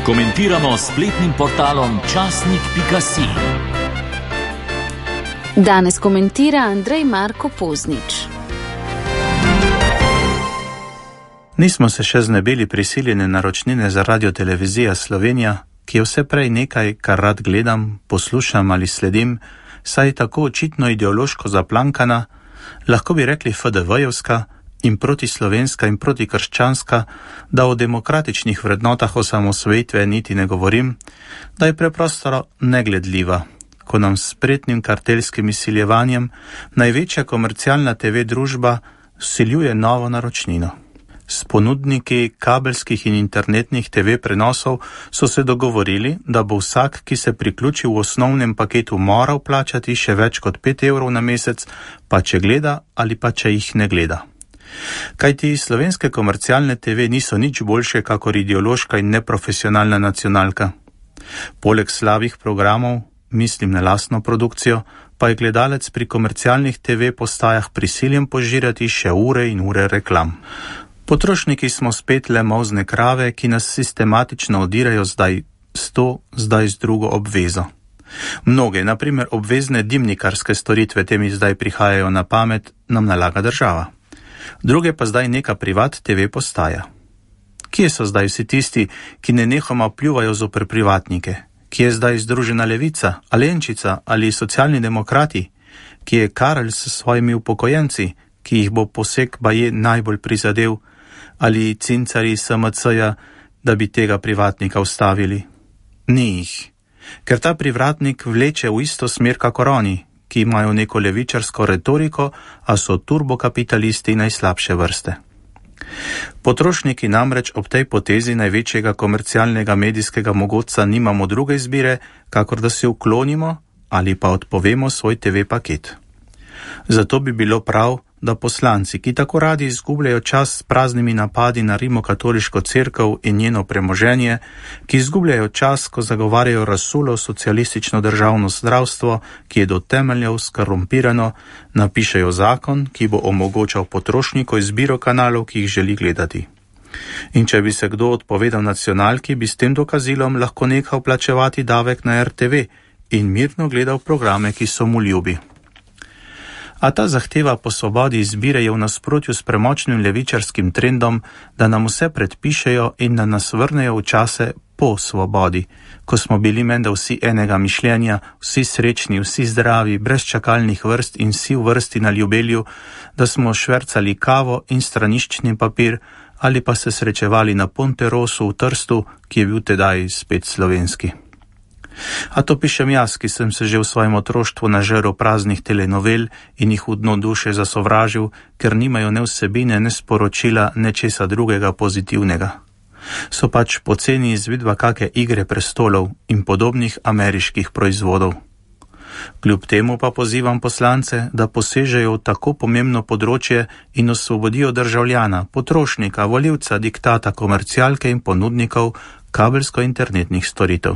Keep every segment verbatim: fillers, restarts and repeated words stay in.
Komentiramo s spletnim portalom časnik pika si. Danes komentira Andrej Marko Poznič. Nismo se še znebili prisiljene naročnine za Radiotelevizija Slovenija, ki je vse prej nekaj, kar rad gledam, poslušam ali sledim, saj je tako očitno ideološko zaplankana, lahko bi rekli F D V-jevska in protislovenska in protikrščanska, da o demokratičnih vrednotah osamosvojitve niti ne govorim, da je preprosto negledljiva, ko nam s spretnim kartelskim izsiljevanjem največja komercialna te ve družba vsiljuje novo naročnino. S ponudniki kabelskih in internetnih te ve prenosov so se dogovorili, da bo vsak, ki se priključi v osnovnem paketu, moral plačati še več kot pet evrov na mesec, pa če gleda ali pa če jih ne gleda. Kajti slovenske komercialne te ve niso nič boljše kakor ideološka in neprofesionalna nacionalka. Poleg slabih programov, mislim na lastno produkcijo, pa je gledalec pri komercialnih te ve postajah prisiljen požirati še ure in ure reklam. Potrošniki smo spet le molzne krave, ki nas sistematično odirajo zdaj s to, zdaj z drugo obvezo. Mnoge, na primer obvezne dimnikarske storitve, te mi zdaj prihajajo na pamet, nam nalaga država. Druge pa zdaj neka privat te ve postaja. Kje so zdaj vsi tisti, ki nenehoma pljuvajo zoper privatnike? Kje je zdaj Združena levica, Alenčica ali socialni demokrati? Kje je Karel s svojimi upokojenci, ki jih bo poseg baje najbolj prizadel, ali cincari S M C-ja, da bi tega privatnika ustavili? Ni jih, ker ta privatnik vleče v isto smer kakor oni, ki imajo neko levičarsko retoriko, a so turbokapitalisti najslabše vrste. Potrošniki namreč ob tej potezi največjega komercialnega medijskega mogotca nimamo druge izbire, kakor da se uklonimo ali pa odpovemo svoj te ve paket. Zato bi bilo prav, da poslanci, ki tako radi izgubljajo čas s praznimi napadi na rimokatoliško cerkev in njeno premoženje, ki izgubljajo čas, ko zagovarjajo razsulo socialistično državno zdravstvo, ki je do temeljev skorumpirano, napišejo zakon, ki bo omogočal potrošniku izbiro kanalov, ki jih želi gledati. In če bi se kdo odpovedal nacionalki, bi s tem dokazilom lahko nehal plačevati davek na R T V in mirno gledal programe, ki so mu ljubi. A ta zahteva po svobodi izbire je v nasprotju s premočnim levičarskim trendom, da nam vse predpišejo in da nas vrnejo v čase po svobodi, ko smo bili menda vsi enega mišljenja, vsi srečni, vsi zdravi, brez čakalnih vrst in vsi v vrsti na ljubelju, da smo švercali kavo in straniščni papir ali pa se srečevali na Ponterosu v Trstu, ki je bil tedaj spet slovenski. A to pišem jaz, ki sem se že v svojem otroštvu nažrl praznih telenovel in jih v dno duše zasovražil, ker nimajo ne vsebine, ne sporočila, ne česa drugega pozitivnega. So pač poceni izvedba kake Igre prestolov in podobnih ameriških proizvodov. Kljub temu pa pozivam poslance, da posežejo v tako pomembno področje in osvobodijo državljana, potrošnika, volivca, diktata komercialke in ponudnikov kabelsko-internetnih storitev.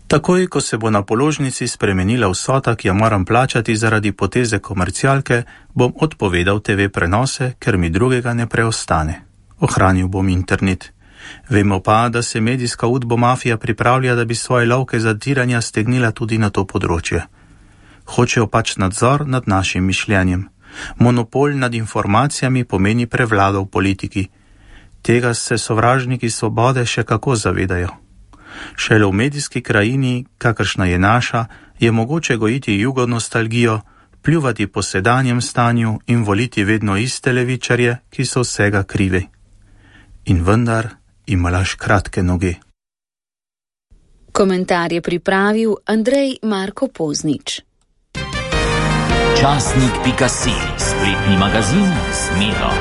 Takoj, ko se bo na položnici spremenila vsota, ki jo moram plačati zaradi poteze komercialke, bom odpovedal te ve prenose, ker mi drugega ne preostane. Ohranil bom internet. Vemo pa, da se medijska udbomafija pripravlja, da bi svoje lovke zatiranja stegnila tudi na to področje. Hočejo pač nadzor nad našim mišljenjem. Monopol nad informacijami pomeni prevlado v politiki. Tega se sovražniki svobode še kako zavedajo. Šele v medijski krajini, kakršna je naša, je mogoče gojiti jugonostalgijo, pljuvati po sedanjem stanju in voliti vedno iste levičarje, ki so vsega krivi. In vendar imaš kratke noge. Komentar je pripravil Andrej Marko Poznič. časnik pika si, spletni magazin s Miro.